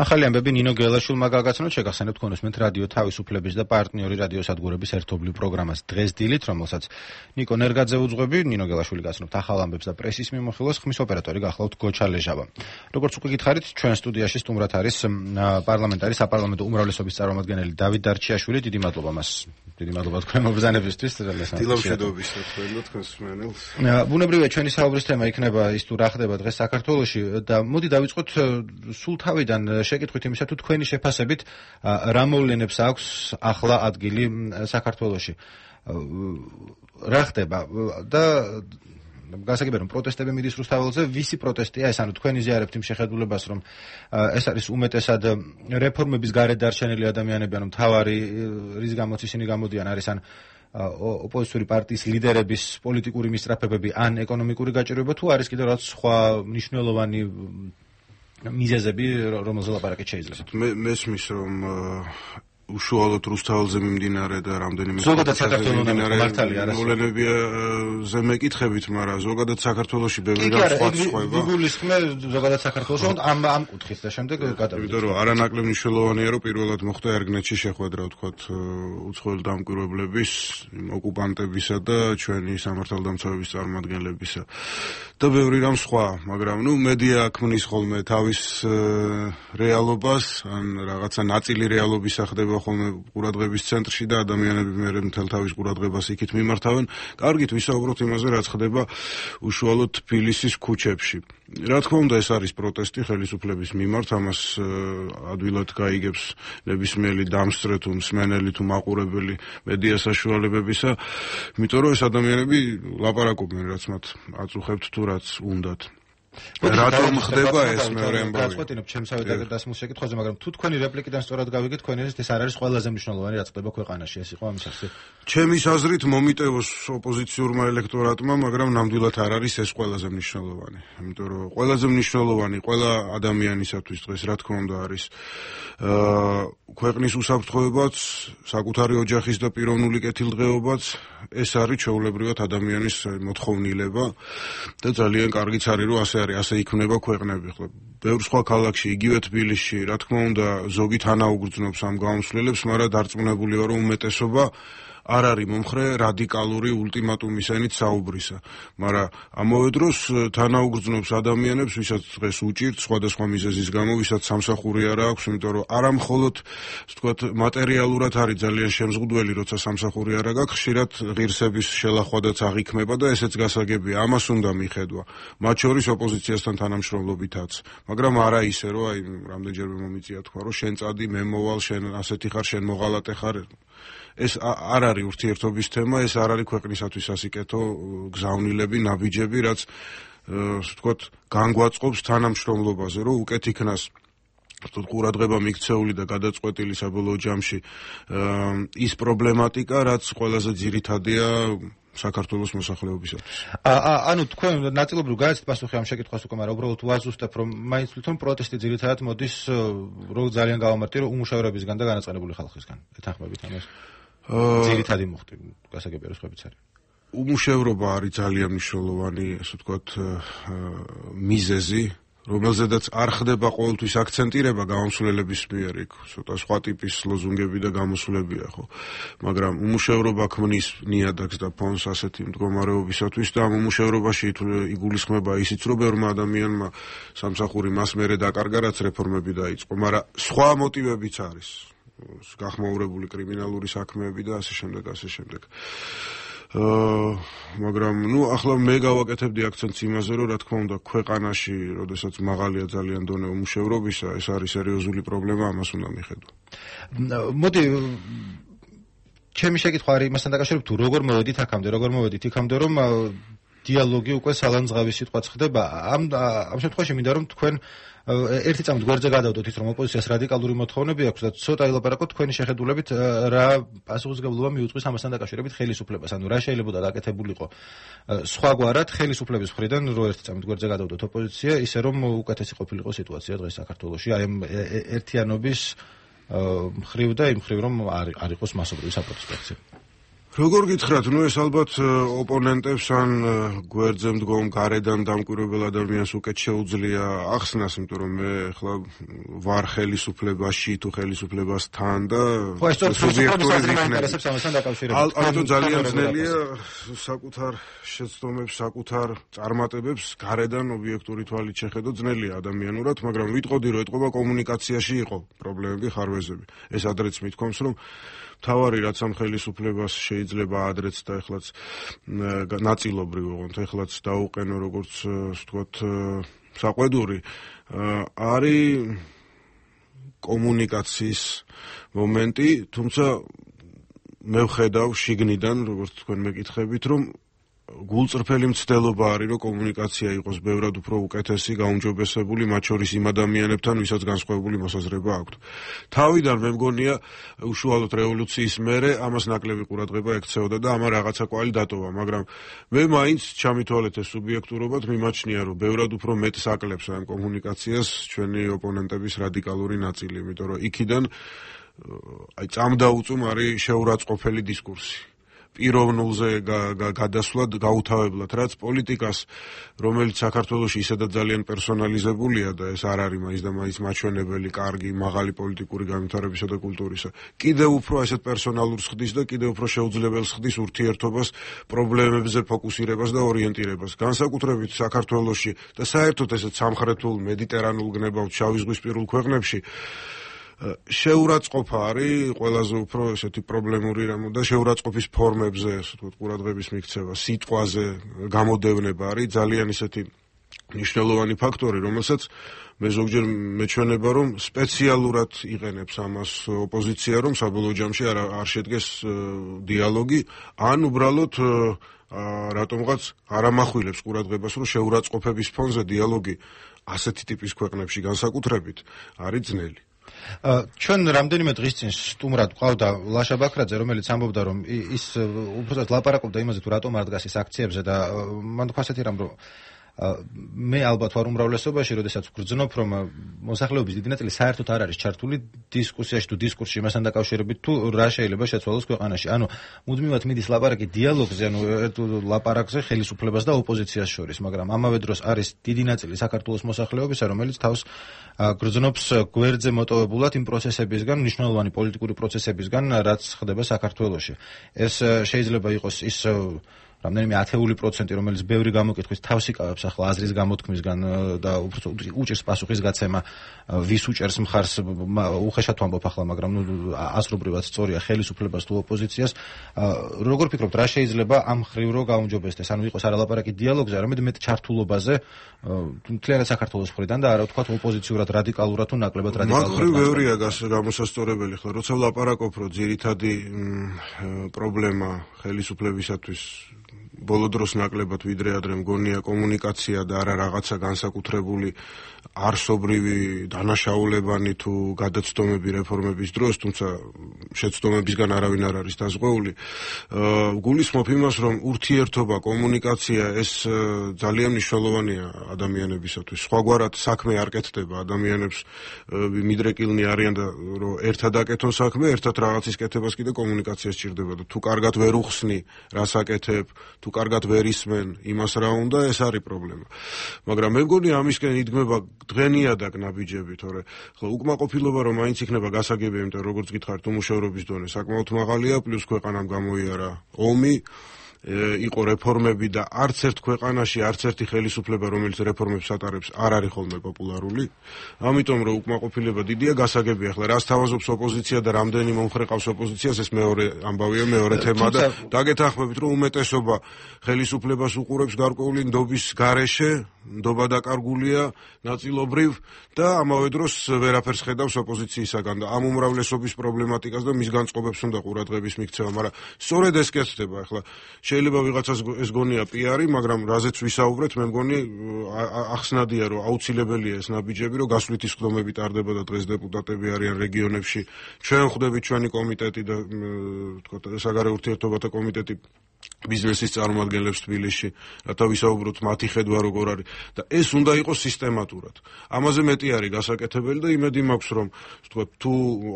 ახალი ამბები ნინო გელაშვილმა გაგაცნოთ, შეგახსენებთ თქვენოსმენთ რადიო თავისუფლების და პარტნიორი რადიოსადგურების ერთობლივ პროგრამას დღეს დილით, რომელსაც ნიკო ნერგაძე უძღვები, ნინო გელაშვილი გაცნობთ ახალ ამბებს და პრესის მიმოხილვას, ხმის ოპერატორი გახლავთ გოჩა ლეჟავა. Როგორც უკვე გითხარით, ჩვენ სტუდიაში სტუმრად არის პარლამენტარი საპარლამენტო უმრავლესობის წარმომადგენელი დავით დარჩიაშვილი. დიდი მადლობა მას. დიდი მადლობა თქვენ მობრძანებისთვის. დილამშვიდობის თქვენ და თქვენს მსმენელს. ბუნებრივია ჩვენი საუბრის თემა იქნება ის თუ რა ხდება დღეს საქართველოში და მოდი დავიწყოთ სულ თავიდან შეკითხვით იმისა თუ თქვენი შეფასებით რა მოვლენებს აქვს ახლა ადგილი საქართველოში. რა ხდება და გასაგებია რომ პროტესტები მიდის რუსთაველზე, ვისი პროტესტია ეს, ანუ თქვენ იზიარებთ იმ შეხედულებას რომ ეს არის უმეტესად რეფორმების გარეთ დარჩენილი ადამიანები, ანუ მთავარი რის გამოც ისინი გამოდიან არის ან ოპოზიციური პარტიის ლიდერების პოლიტიკური მისწრაფებები ან ეკონომიკური გაჭირვება, თუ არის კიდევ რაღაც სხვა მნიშვნელოვანი მიზეზები, რომელზეც ლაპარაკი შეიძლება. მესმის რომ უშუალოდ რუსთაველზე მიმდინარე და რამდენიმე ზოგადად საქართველოში მართალია არა მოვლენებზე მეკითხებით, მაგრამ ზოგადად საქართველოში ბევრი რამ სხვა ხდება. გუგლისხმე ზოგადად საქართველოში ამ კუთხით და შემდეგ გადავიდეთ. იმიტომ რომ არანაკლებ მნიშვნელოვანია რომ პირველად მოხდა ერგნეთში შეხვედრა, ვთქვათ, უცხოელი დამკვირვებლების, ოკუპანტებისა და ჩვენი სამართალდამცავების წარმომადგენლებისა. და ბევრი რამ სხვა, მაგრამ მედია ქმნის ხოლმე თავის რეალობას, ან რაღაცა ნაწილი რეალობისა ხდება ხოლმე ყურადღების ცენტრში და ადამიანები მერე მთელ თავის ყურადღებას იქით მიმართავენ. კარგით ვისაუბროთ იმაზე, რაც ხდება უშუალოდ თბილისის ქუჩებში. რა თქმა უნდა, ეს არის პროტესტი ხელისუფლების მიმართ, ამას ადვილად გაიგებს ნებისმიერი დამსწრე თუ მსმენელი თუ მაყურებელი მედია საშუალებებისა, იმიტომ რომ ეს ადამიანები ლაპარაკობენ, რაც მათ აწუხებთ თუ რაც უნდათ. რატომ ხდება ეს მეორე ამბავი? გაწყვეტინებ ჩემსავე დასმულ შეკითხვაზე, მაგრამ თუ თქვენი რეპლიკიდან სწორად გავიგეთ, თქვენი აზრით ეს არ არის ყველაზე მნიშვნელოვანი რაც ხდება ქვეყანაში, ეს იყო ამის ახსნით. ჩემის აზრით მომიტევოს ოპოზიციურმა ელექტორატმა, მაგრამ ნამდვილად არ არის ეს ყველაზე მნიშვნელოვანი. იმიტომ რომ ყველაზე მნიშვნელოვანი ყველა ადამიანისათვის დღეს რა თქმა უნდა არის ქვეყნის უსაფრთხოებაც, საკუთარი ოჯახის და პიროვნული კეთილდღეობაც, ეს არის ჩვეულებრივად ადამიანის მოთხოვნილება და ძალიან კარგიც არის რომ ასე იქმნება ქვეყნები. ხო, ბევრ სხვა ქალაქში, იგივე თბილისში, რა თქმა უნდა, ზოგი თანაუგრძნობს ამ გამოსვლელებს, მაგრამ დარწმუნებული ვარ, რომ უმეტესობა არ არის მომხრე რადიკალური ულტიმატუმისენით საუბრისა, მაგრამ ამავე დროს თანაუგრძნობს ადამიანებს, ვისაც დღეს უჭირთ სხვადასხვა მიზეზის გამო, ვისაც სამსახური არ აქვს, იმიტომ რომ არა მხოლოდ, ვთქვათ, მატერიალურად არის ძალიან შემზღუდველი, როცა სამსახური არ აქვს, ხშირად ღირსების შელახვადაც აღიქმება და ესეც გასაგებია, ამას უნდა მიხედვა. მათ შორის ოპოზიციასთან თანამშრომლობითაც, მაგრამ არა ისე, რომ აი რამდენჯერმე მომიწია თქვა, რომ შენ წადი, მე მოვალ, შენ ასეთი ხარ, შენ მოღალატე ხარ. ეს არ არის ურთიერთობის თემა, ეს არ არის ქვეყნისათვის ასიკეთო გზავნილები, ნაბიჯები, რაც ვთქვათ, განგვაწყობს თანამშრომლობაზე, რომ უკეთ იქნას ყურადღება მიქცეული და გადაწყვეტილი საბოლოო ჯამში ის პრობლემატიკა, რაც ყველაზე ძირითადია საქართველოს მოსახლეობისათვის. ანუ თქვენ ნაწილობრივ გაიცით პასუხი ამ შეკითხვას უკვე, მაგრამ უბრალოდ ვაზუსტებ, რომ მაინც თვითონ პროტესტი ძირითადად მოდის, რომ ძალიან გავამართლე, რომ უმუშევრებისგან და განაწყენებული ხალხისგან. ეთანხმებით ამას? ძირითადი მუხტი, გასაგებია რომ სხვაებიც არის. უმუშევრობა არის ძალიან მნიშვნელოვანი, ასე ვთქვათ, მიზეზი, რომელზედაც არ ხდება ყოველთვის აქცენტირება გამოსვლელების მიერ, იქ ცოტა სხვა ტიპის ლოზუნგები და გამოსვლებია, ხო. მაგრამ უმუშევრობა ქმნის ნიადაგს და ფონს ასეთი მდგომარეობისათვის და ამ უმუშევრობაში იგულისხმება ისიც, რომ ბევრმა ადამიანმა სამსახური მას მერე დაკარგა, რაც რეფორმები დაიწყო, მაგრამ სხვა მოტივებიც არის. გახმაურებული კრიმინალური საქმეები და ასე შემდეგ, ასე შემდეგ. მაგრამ ახლა მე გავაკეთებდი აქცენტს იმაზე, რომ რა თქმა უნდა ქვეყანაში, როდესაც მაღალია ძალიან დონე უმუშევრობისა, ეს არის სერიოზული პრობლემა, ამას უნდა მიხედვა. მოდი ჩემი შეკითხვა არის იმასთან დაკავშირებით, თუ როგორ მოვედით იქამდე, რომ დიალოგი უკვე სალანძღავის სიტყვაც ხდება. ამ შემთხვევაში მინდა რომ თქვენ ერთი წამით გვერდზე გადავდოთ ის, რომ ოპოზიციას რადიკალური მოთხოვნები აქვს და ცოტა ილაპარაკოთ თქვენი შეხედულებით რა პასუხისმგებლობა მიუძღვის ამასთან დაკავშირებით ხელისუფლებას, ანუ რა შეიძლება დაკეთებულიყო სხვაგვარად ხელისუფლების მხრიდან, რომ ერთი წამით გვერდზე გადავდოთ ოპოზიცია, ისე რომ უკეთესი ყოფილიყო სიტუაცია დღეს საქართველოში, აი ამ ერთიანობის მხრივ და იმ მხრივ, რომ არ იყოს მასობრივი საპროტესტო აქცია. როგორ გითხრათ, ეს ალბათ ოპონენტებს ან გვერდზე მდგომ გარედან დამკვირვებელ ადამიანს უკეთ შეუძლია ახსნას, იმიტომ რომ მე ახლა ვარ ხელისუფლებაში თუ ხელისუფლებასთან და სუბიექტური ინტერესებს ამასთან დაკავშირებით. ალბათ ძალიან ძნელია საკუთარ შეცდომებს, საკუთარ წარმატებებს გარედან ობიექტური თვალით შეხედო ძნელია ადამიანურად, მაგრამ ვიტყოდი რომ ეთყობა კომუნიკაციაში იყო პრობლემები, ხარვეზები. ეს ადრეც მithkoms რომ თავარი რაც ამ ხელისუფლებას შეიძლება ადრეც და ეხლაც ნაწილობრივ ოღონდ ეხლაც დაუყენო როგორც ვთქვათ საყვედური არის კომუნიკაციის მომენტი, თუმცა მე ვხედავ შიგნიდან როგორც თქვენ მეკითხებით რომ გულწრფელი მცდელობა არის რომ კომუნიკაცია იყოს ბევრად უფრო უკეთესი, გაუმჯობესებული, მათ შორის იმ ადამიანებთან, ვისაც განსხვავებული მოსაზრება აქვთ. თავიდან მე მგონია უშუალოდ რევოლუციის მერე ამას ნაკლები ყურადღება ექცეოდა და ამა რაღაცა კვალი დატოვა, მაგრამ მე მაინც ჩამითვალეთ ეს სუბიექტურობად მიმაჩნია რომ ბევრად უფრო მეტს აკლებს ამ კომუნიკაციას ჩვენი ოპონენტების რადიკალური ნაწილი, იმიტომ რომ იქიდან წამდაუწუმ არის შეურაცხყოფელი დისკურსი. პიროვნულზე გადასვლად გაუთავებლად, რაც პოლიტიკას, რომელიც საქართველოში ისედაც ძალიან პერსონალიზებულია და ეს არ არის მაინც და მაინც მაჩვენებელი, კარგი, მაღალი პოლიტიკური განვითარებისა და კულტურისა. კიდევ უფრო ასეთ პერსონალურს ხდის და კიდევ უფრო შეუძლებელს ხდის ურთიერთობას, პრობლემებზე ფოკუსირებას და ორიენტირებას. განსაკუთრებით საქართველოში და საერთოდ ესეთ სამხრეთულ მედიტერანულ გნებავთ შავიზღვისპირულ ქვეყნებში შეურაცხყოფა არის ყველაზე უფრო ესეთი პრობლემური რამ და შეურაცხყოფის ფორმებზე, ასე ვთქვათ, ყურადღების მიქცევა, სიტყვაზე გამოდევნება არის ძალიან ისეთი მნიშვნელოვანი ფაქტორი, რომელსაც მე ზოგჯერ მეჩვენება, რომ სპეციალურად იყენებს ამას ოპოზიცია, რომ საბოლოო ჯამში არ შედგეს დიალოგი, ან უბრალოდ რატომღაც არ ამახვილებს ყურადღებას, რომ შეურაცხყოფების ფონზე დიალოგი ასეთი ტიპის ქვეყნებში განსაკუთრებით არის ძნელი. ჩვენ რამდენიმე დღის წინ სტუმრად ყავდა ლაშა ბაქრაძე, რომელიც ამბობდა, რომ ის უბრალოდ ლაპარაკობდა იმაზე, თუ რატომ არ დგას ის აქციებზე და მან თქვა ასეთი რამ, რომ მე ალბათ ვარ უმრავლესობაში, როდესაც ვგრძნობ, რომ მოსახლეობის დიდი ნაწილი საერთოდ არ არის ჩართული დისკუსიაში თუ დისკურსში იმასთან დაკავშირებით, თუ რა შეიძლება შეცვალოს ქვეყანაში. ანუ მუდმივად მიდის ლაპარაკი დიალოგზე, ანუ ლაპარაკზე ხელისუფლებას და ოპოზიციას შორის, მაგრამ ამავე დროს არის დიდი ნაწილი საქართველოს მოსახლეობისა, რომელიც თავს გრძნობს გვერდზე მოტოვებულად იმ პროცესებისგან, მნიშვნელოვანი პოლიტიკური პროცესებისგან, რაც ხდება საქართველოში. ეს შეიძლება იყოს ის რამდენიმე 10%, რომელიც ბევრი გამოკითხვის თავს იკავებს ახლა აზრის გამოთქმისგან და უჭირს პასუხის გაცემა, ვის უჭერს მხარს, უხეშად ვამბობ ახლა, მაგრამ ასრობრივად სწორია ხელისუფლებას თუ ოპოზიციას. როგორ ფიქრობთ, რა შეიძლება ამ მხრივ რო გაუმჯობესდეს? ანუ იყოს არა ლაპარაკი დიალოგზე, არამედ მეტ ჩართულობაზე მთლიანად საქართველოს მხრიდან და არა ვთქვათ ოპოზიციურად რადიკალურად თუ ნაკლებად რადიკალურად. მაგ მხრივ ბევრია გამოსასწორებელი ხლა, როცა ვლაპარაკობ, რომ ძირითადი პრობლემა ხელისუფლებისათვის ბოლო დროს ნაკლებად ვიდრე ადრე მგონია კომუნიკაცია და არა რაღაცა განსაკუთრებული არსობრივი დანაშაულებანი თუ გადაცდომები რეფორმების დროს, თუმცა შეცდომებისგან არავინ არ არის დაზღვეული. გულისხმობ იმას, რომ ურთიერთობა, კომუნიკაცია ეს ძალიან მნიშვნელოვანია ადამიანებისათვის. სხვაგვარად საქმე არ კეთდება, ადამიანებს მიდრეკილნი არიან და რომ ერთად აკეთონ საქმე, ერთად რაღაცის კეთებას კიდე კომუნიკაცია სჭირდება და თუ კარგად ვერ უხსნი, რას აკეთებ, თუ კარგად ვერ ისმენ იმას რა უნდა, ეს არის პრობლემა. მაგრამ მე მგონი ამისკენ იდგმება დღენიადაკ ნაბიჯები, თორე ხო უკმაყოფილობა რომ მაინც იქნება გასაგები, იმიტომ როგორც გითხარით, უმუშევრობის დონე საკმაოდ მაღალია, პლუს ქვეყანამ გამოიარა ომი, იყო რეფორმები და არც ერთ ქვეყანაში არც ერთი ხელისუფლება, რომელიც რეფორმებს ატარებს, არ არის ხოლმე პოპულარული. ამიტომ რომ უკმაყოფილება დიდია, გასაგებია ახლა რას თავაზობს ოპოზიცია და რამდენი მომხრე ყავს ოპოზიციას, ეს მეორე ამბავია, მეორე თემა და დაგეთანხმებით, რომ უმეტესობა ხელისუფლებას უყურებს გარკვეული ნდობის გარეშე, ნდობა დაკარგულია ნაწილობრივ და ამავე დროს ვერაფერს ხედავს ოპოზიციისაგან და ამ უმრავლესობის პრობლემატიკას და მის განწყობებს უნდა ყურადღების მიქცევა, მაგრამ სწორედ ეს კეთდება ახლა. შეიძლება ვიღაცას ეს გონია პიარი, მაგრამ რაზეც ვისაუბრეთ, მე მგონი ახსნადია, რომ აუცილებელია ეს ნაბიჯები, რომ გასვლითი სხდომები ტარდება და დღეს დეპუტატები არიან რეგიონებში. ჩვენ ხვდებით ჩვენი კომიტეტი და თქვა საგარეო ურთიერთობათა კომიტეტი ბიზნესის წარმომადგენლებს თბილისში, რათა ვისაუბროთ მათი ხედვა როგორ არის და ეს უნდა იყოს სისტემატურად. ამაზე მეტი არის გასაკეთებელი და იმედი მაქვს, რომ თუ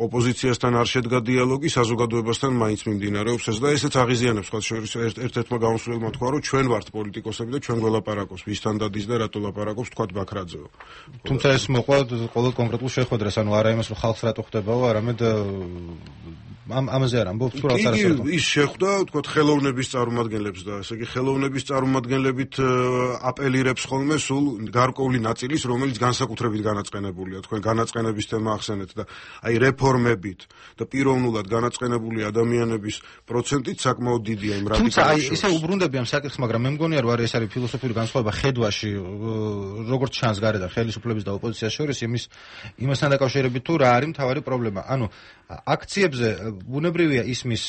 ოპოზიციასთან არ შედგა დიალოგი, საზოგადოებასთან მაინც მიმდინარეობს ეს და ესეც აღიზიანებს სხვა შორის ერთ-ერთმა გამოსვლელმა თქვა, რომ ჩვენ ვართ პოლიტიკოსები და ჩვენ გველაპარაკობს, ვისთან დადის და რატო ლაპარაკობს, თქვა ბაქრაძეო. თუმცა ეს მოყვა ყოველ კონკრეტულ შეხვედრას, ანუ არა იმას, რომ ხალხს რატო ხვდებაო, არამედ ამაზე არ ამბობთ, თუ რაც არასწორად. ის შეხვდა, თქვა ხელოვნების წარმომადგენლებს და ესე იგი ხელოვნების წარმომადგენლებით აპელირებს ხოლმე სულ გარკვეული ნაწილის, რომელიც განსაკუთრებით განაწყენებულია. თქვენ განაწყენების თემა ახსენეთ და აი რეფორმებით და პიროვნულად განაწყენებული ადამიანების პროცენტით საკმაოდ დიდია იმ რადიკალებში. თუმცა აი ესე უბრუნდები ამ საკითხს, მაგრამ მე მგონია რომ ეს არის ფილოსოფიური განსხვავება ხედვაში, როგორც ჩანს გარედან ხელისუფლების და ოპოზიციის შორის იმასთან დაკავშირებით თუ რა არის მთავარი პრობლემა. ანუ აქციებზე ბუნებრივია ისმის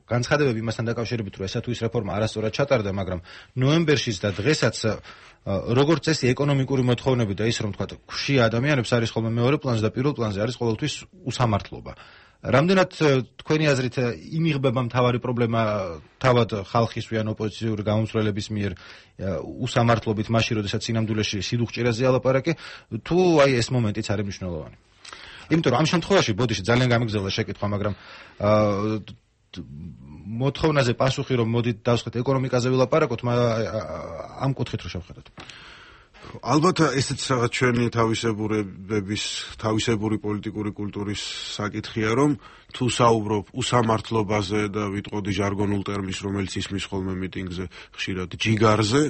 განცხადებები იმასთან დაკავშირებით, რომ ესა თუ ის რეფორმა არასწორად ჩატარდა, მაგრამ ნოემბერშიც და დღესაც როგორც წესი ეკონომიკური მოთხოვნები და ის რომ თქვა ქვშია ადამიანებს არის ხოლმე მეორე პლანზე და პირველ პლანზე არის ყოველთვის უსამართლობა. რამდენად თქვენი აზრით იმიღბება მთავარი პრობლემა თავად ხალხისვიან ოპოზიციური გამომცვლელების მიერ უსამართლობით მაშინ, როდესაც სინამდვილეში სიდუხჭირეზეა ლაპარაკი, თუ აი ეს მომენტიც არის მნიშვნელოვანი? იმიტომ რომ ამ შემთხვევაში ბოდიში ძალიან გამიგზავნა შეკითხვა, მაგრამ მოთხოვნაზე პასუხი რომ მოდით დავსხეთ ეკონომიკაზე ვილაპარაკოთ, ამ კუთხით რო შევხედოთ. ალბათ ესეც რაღაც ჩვენი თავისებური პოლიტიკური კულტურის საკითხია, რომ თუ საუბრობ უსამართლობაზე და ვიტყოდი ჟარგონულ ტერმინს, რომელიც ისმის ხოლმე მიტინგზე ხშირად ჯიგარზე,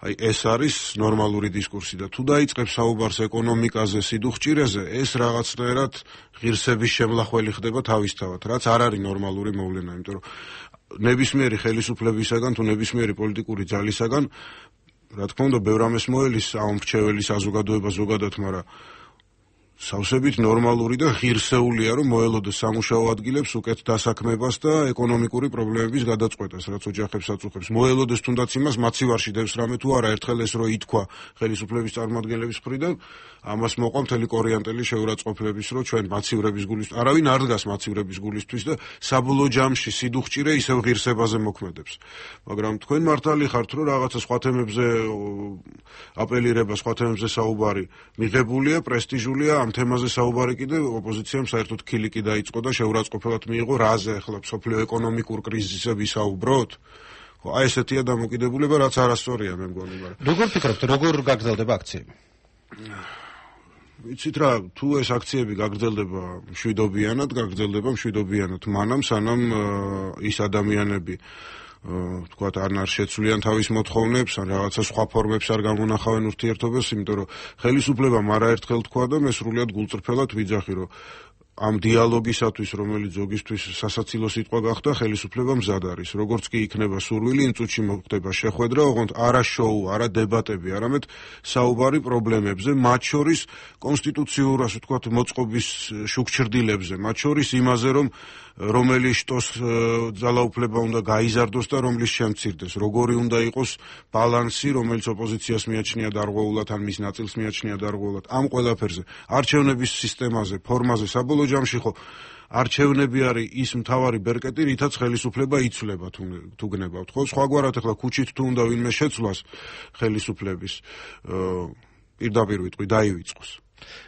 აი ეს არის ნორმალური დისკურსი და თუ დაიწყებს საუბარს ეკონომიკაზე, სიდუხჭირეზე, ეს რაღაცნაირად ღირსების შემლახველი ხდება თავისთავად, რაც არ არის ნორმალური მოვლენა, იმიტომ რომ ნებისმიერი ხელისუფლებისაგან თუ ნებისმიერი პოლიტიკური ძალისაგან, რა თქმა უნდა, ბევრ ამას მოელის ამ მრჩეველი საზოგადოება ზოგადად, მაგრამ სავსებით ნორმალური და ღირსეულია, რომ მოელოდეს სამუშაო ადგილებს უკეთ დასაქმებას და ეკონომიკური პრობლემების გადაწყვეტას, რაც ოჯახებს აწუხებს. მოელოდეს თუნდაც იმას, მაცივარში დევს რამე თუ არა, ერთხელ ეს რო ითქვა ხელისუფლების წარმომადგენლების მხრიდან, ამას მოყვა მთელი კორიანტელი შეურაცხყოფლების, რომ ჩვენ მაცივრების გულისთვის, არავინ არ დგას მაცივრების გულისთვის და საბოლოო ჯამში სიდუხჭირე ისევ ღირსებაზე მოქმედებს. მაგრამ თქვენ მართალი ხართ, რომ რაღაცა სხვა თემებზე აპელირება, სხვა თემებზე საუბარი მიღებულია, პრესტიჟულია, ამ თემაზე საუბარი კიდე ოპოზიციამ საერთოდ ქილიკი დაიწყო და შეურაცხყოფლად მიიღო, რაზე ახლა მსოფლიო ეკონომიკურ კრიზისზე ვისაუბროთ? აი ესეთია დამოკიდებულება, რაც არასწორია მე მგონი, მაგრამ როგორ ფიქრობთ, როგორ გაგრძელდება აქციები? ვიცით რა, თუ ეს აქციები გაგრძელდება მშვიდობიანად, მანამ სანამ ის ადამიანები თქვათ არ შეცვლიან თავის მოთხოვნებს, ან რაღაცა სხვა ფორმებს არ გამონახავენ ურთიერთობას, იმიტომ რომ ხელისუფლებამ არაერთხელ თქვა და მე სრულიად გულწრფელად ვიძახი, რომ ამ დიალოგისათვის, რომელიც ზოგისთვის სასაცილო სიტყვა გახდა, ხელისუფლება მზად არის. როგორც კი იქნება სურვილი, იმ წუთში მოხდება შეხვედრა, ოღონდ არა შოუ, არა დებატები, არამედ საუბარი პრობლემებზე, მათ შორის კონსტიტუციურ, ასე ვთქვათ, მოწყობის შუქჩრდილებზე, მათ შორის იმაზე, რომ რომელი შტოს ძალაუფლება უნდა გაიზარდოს და რომლის შემცირდეს, როგორი უნდა იყოს ბალანსი, რომელიც ოპოზიციას მიაჩნია დარღვეულად, ან მის ნაწილს მიაჩნია დარღვეულად, ამ ყველაფერზე, არჩევნების სისტემაზე, ფორმაზე, საბოლოო ჯამში ხო არჩევნები არის ის მთავარი ბერკეტი, რითაც ხელისუფლება იცვლება თუ გნებავთ, ხო? სხვაგვარად ახლა ქუჩით თუ უნდა ვინმე შეცვლას ხელისუფლების პირდაპირ ვიტყვი დაივიწყოს.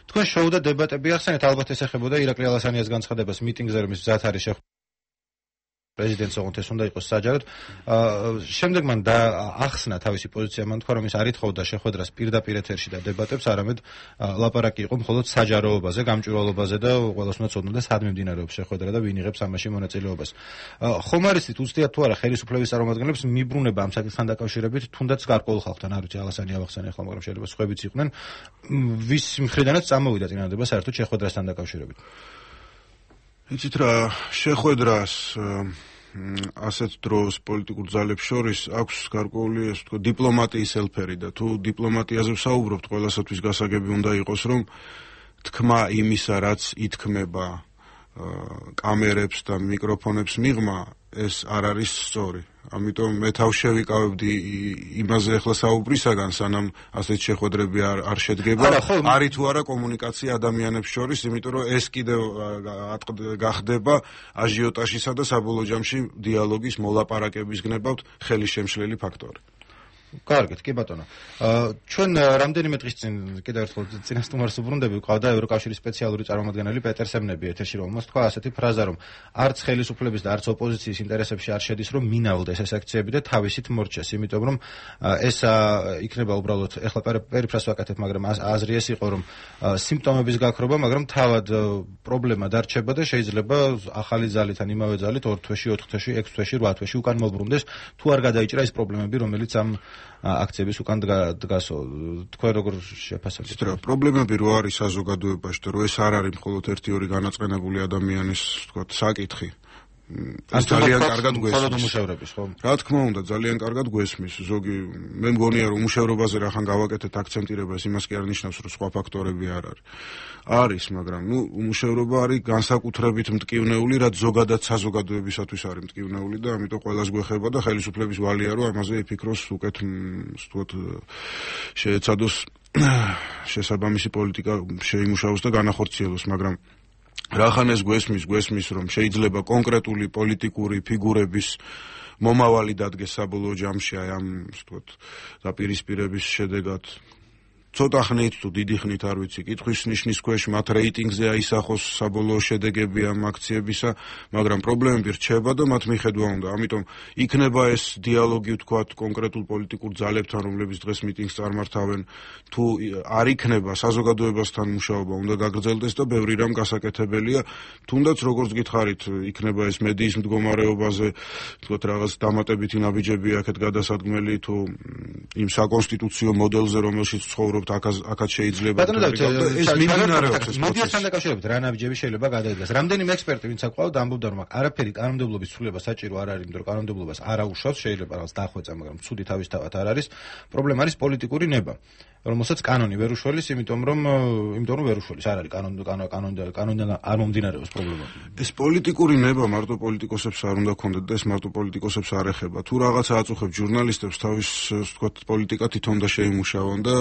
თქვენ შოუ და დებატები ახსენეთ, ალბათ ეს ეხებოდა ირაკლი ალასანიას განცხადებას მიტინგზე, რომ ის მზად არის პრეზიდენტს ოღონდ ეს უნდა იყოს საჯაროდ. შემდეგ მან ახსნა თავისი პოზიცია, მან თქვა, რომ ის არ ითხოვდა შეხვედრას პირდაპირ ეთერში და დებატებს, არამედ ლაპარაკი იყო მხოლოდ საჯაროობაზე, გამჭვირვალობაზე და ყველას უნდა ცოდნოდა სად მიმდინარეობს შეხვედრა და ვინ იღებს ამაში მონაწილეობას. ხომ არის თუცდიათ თუ არა ხელისუფლების წარმომადგენლებს მიბრუნება ამ საკითხთან დაკავშირებით, თუნდაც გარკვეულ ხალხთან, არ ვიცი, ალასანი ავახსენე ახლა, მაგრამ შეიძლება სხვაებიც იყვნენ, ვის მხრიდანაც წამოვიდა წინადადება საერთოდ შეხვედრასთან დაკავშირებით. იცით რა, შეხვედრას ასეთ დროს პოლიტიკურ ძალებს შორის აქვს გარკვეული, ასე ვთქვათ, დიპლომატიის ელფერი და თუ დიპლომატიაზე ვსაუბრობთ, ყველასათვის გასაგები უნდა იყოს, რომ თქმა იმისა, რაც ითქმება კამერებს და მიკროფონებს მიღმა, ეს არ არის სწორი. ამიტომ მე თავს შევიკავებდი იმაზე ახლა საუბრისაგან, სანამ ასეთ შეხვედრები არ შედგება, არის თუ არა კომუნიკაცია ადამიანებს შორის, იმიტომ რომ ეს კიდევ გახდება აჟიოტაჟისა და საბოლოო ჯამში დიალოგის მოლაპარაკების გნებავთ ხელისშემშლელი ფაქტორი. კარგით, კი ბატონო. ჩვენ რამდენიმე დღის წინ კიდევ ერთხელ წინასწარმეტყველს უბრუნდები, ყავდა ევროკავშირის სპეციალური წარმომადგენელი პეტერ სემნები ეთერში, რომელმაც თქვა ასეთი ფრაზა, რომ არც ხელისუფლების და არც ოპოზიციის ინტერესებში არ შედის, რომ მინავლდეს ეს აქციები და თავისით მორჩეს, იმიტომ რომ ეს იქნება უბრალოდ, ეხლა პერიფრას ვაკეთებ, მაგრამ აზრი ეს იყო, რომ სიმპტომების გაქრობა, მაგრამ თავად პრობლემა დარჩება და შეიძლება ახალი ძალით ან იმავე ძალით 2 თვეში, 4 თვეში, 6 თვეში, 8 თვეში უკან მოbrunდეს, თუ არ გადაიჭრა ის პრობლემები, რომელიც ამ აქციების უკან დგასო. თქვენ როგორ შეფასებთ? პრობლემები რო არის საზოგადოებაში და რო ეს არ არის მხოლოდ 1-2 განაწყენებული ადამიანის, თქვათ, საკითხი. ეს ძალიან კარგად გვესმის. რა თქმა უნდა, ძალიან კარგად გვესმის. ზოგი მე მგონია რომ უმუშევრობაზე რახან გავაკეთეთ აქცენტირება, ეს იმას კი არ ნიშნავს, რომ სხვა ფაქტორები არ არის. არის, მაგრამ უმუშევრობა არის განსაკუთრებით მტკივნეული, რაც ზოგადად საზოგადოებისათვის არის მტკივნეული და ამიტომ ყველას გვეხება და ხელისუფლების ვალია რომ ამაზე იფიქროს უკეთ, ვთქვათ, შეეცადოს შესაბამისი პოლიტიკა შეიმუშაოს და განახორციელოს, მაგრამ რახან ეს გვესმის, რომ შეიძლება კონკრეტული პოლიტიკური ფიგურების მომავალი დადგეს საბოლოო ჯამში აი ამ, ვთქვათ, დაპირისპირების შედეგად ცოტა ხნით თუ დიდი ხნით არ ვიცი, კითხვის ნიშნის ქვეშ მათ რეიტინგზე აისახოს საბოლოო შედეგები ამ აქციებისა, მაგრამ პრობლემები რჩება და მათ მიხედვა უნდა. ამიტომ იქნება ეს დიალოგი, ვთქვათ, კონკრეტულ პოლიტიკურ ძალებთან, რომლებიც დღეს მიტინგს წარმართავენ, თუ არ იქნება საზოგადოებასთან მუშაობა უნდა გაგრძელდეს და ბევრი რამ გასაკეთებელია, თუნდაც როგორც გითხარით, იქნება ეს მედიის მდგომარეობაზე, ვთქვათ, რაღაც დამატებითი ნაბიჯები აქეთ გადასადგმელი თუ იმ საკონსტიტუციო მოდელზე, რომელშიც ცხოვრობ აქაც შეიძლება ეს მიმდინარეობს ეს მოდიასთან დაკავშირებით რა ნაბიჯები შეიძლება გადაიდგას. რამდენიმე ექსპერტი ვინც აყვავდა ამბობდა რომ არაფერი კანონმდებლობის ცვლილება საჭირო არ არის, იმიტომ რომ კანონმდებლობას არ აუშავს, შეიძლება რაღაც დახვეწა, მაგრამ ცუდი თავისთავად არ არის. პრობლემა არის პოლიტიკური ნება, რომელსაც კანონი ვერ უშველის, იმიტომ რომ ვერ უშველის, არ არის კანონიდან არ მომდინარეობს პრობლემა. ეს პოლიტიკური ნება მარტო პოლიტიკოსებს არ უნდა ქონდეთ და ეს მარტო პოლიტიკოსებს არ ეხება. თუ რაღაცა აწუხებს ჟურნალისტებს, თავის, ვთქვათ, პოლიტიკა თვითონ და შეიმუშავონ და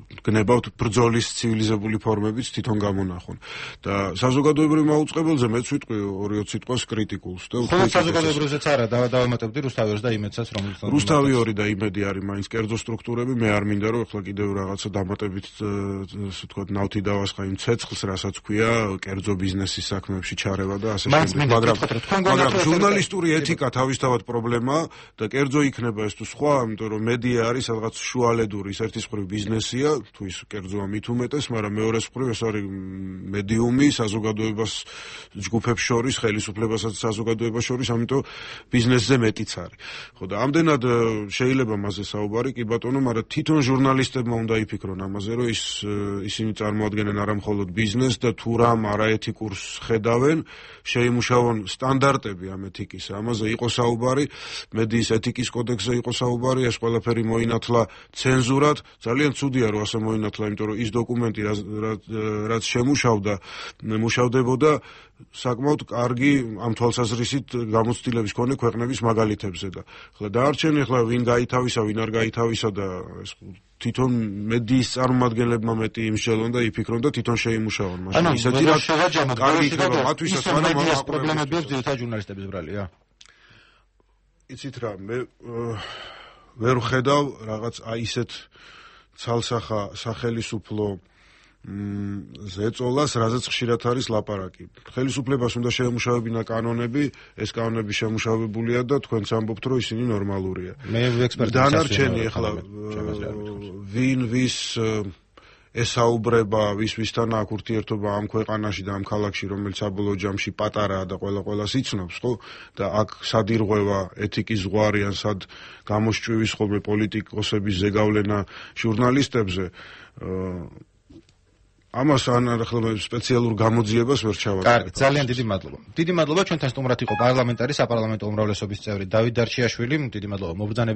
გნებავთ ბრძოლის ცივილიზებული ფორმებიც თვითონ გამონახონ. და საზოგადოებრივ მაუწყებელზე მეც ვიტყვი 2 სიტყვას კრიტიკულს და ხოლმე საზოგადოებრივზეც არა, დავამატებდი რუსთავიორს და იმედსაც, რომელიც რუსთავიორი და იმედი არის მაინც კერძო სტრუქტურები, მე არ მინდა რომ ახლა კიდევ რაღაცა დამატებით, ვთქვათ, ნავთი დავასხა იმ ცეცხლს, რასაც ქვია კერძო ბიზნესის საქმეებში ჩარევა და ასე შემდეგ. მაგრამ ჟურნალისტური ეთიკა თავისთავად პრობლემაა და კერძო იქნება ეს თუ სხვა, იმიტომ რომ მედია არის რაღაც შუალედური, ის ერთის მხრივ ბიზნესია, თუ ის კერძოა მით უმეტეს, მაგრამ მეორეს მხრივ ეს არის მედიუმი საზოგადოებას ჯგუფებს შორის, ხელისუფლებასაც საზოგადოებას შორის, ამიტომ ბიზნესზე მეტიც არის. ხო და ამდენად შეიძლება მასზე საუბარი, კი ბატონო, მაგრამ თვითონ ჟურნალისტებმა უნდა იფიქრონ ამაზე, რომ ისინი წარმოადგენენ არა მხოლოდ ბიზნესს და თუ რამ არაეთიკურს ხედავენ, შეიმუშავონ სტანდარტები ამ ეთიკისა. ამაზე იყო საუბარი, მედიის ეთიკის კოდექსზე იყო საუბარი, ეს ყველაფერი მოინათლა ცენზურად. ძალიან ცუდია რომ ასე მოინათლა, იმიტომ რომ ის დოკუმენტი რაც მუშავდებოდა საკმაოდ კარგი ამ თვალსაზრისით გამოცდილების მქონე ქვეყნების მაგალითებზე და ხლა დაარჩენ ახლა ვინ გაითავისა, ვინ არ გაითავისა და ეს თვითონ მედიის წარმომადგენლებმა მეტი იმსჯელონ და იფიქრონ და თვითონ შეიმუშაონ მაშინ ისეთი რა კარგი იქნება მათთვისაც, მაგრამ ამ პრობლემები აქვს ძირითადად ჟურნალისტების ბრალია. იცით რა, მე ვერ ვხედავ რაღაც აი ისეთ ცალსახა სახელისუფლო ზეწოლას, რაზეც ხშირად არის ლაპარაკი. ხელისუფლებას უნდა შეემუშავებინა კანონები, ეს კანონები შემუშავებულია და თქვენც ამბობთ, რომ ისინი ნორმალურია. მე ექსპერტი დანარჩენი ახლა ვინ ვის ესაუბრება, ვისთან აქვს ურთიერთობა ამ ქვეყანაში და ამ ქალაქში, რომელიც საბოლოო ჯამში პატარაა და ყველას იცნობს, ხო? და აქ სად ირღვევა ეთიკის ზღვარი, ან სად გამოსჭვივის ხოლმე პოლიტიკოსების ზეგავლენა ჟურნალისტებზე, ამას ახლა სპეციალურ გამოძიებას ვერ ჩავატარებ. კარგი, ძალიან დიდი მადლობა. დიდი მადლობა, ჩვენთან სტუმრად იყო პარლამენტარი საპარლამენტო უმრავლესობის წევრი დავით დარჩიაშვილი. დიდი მადლობა მობრძანების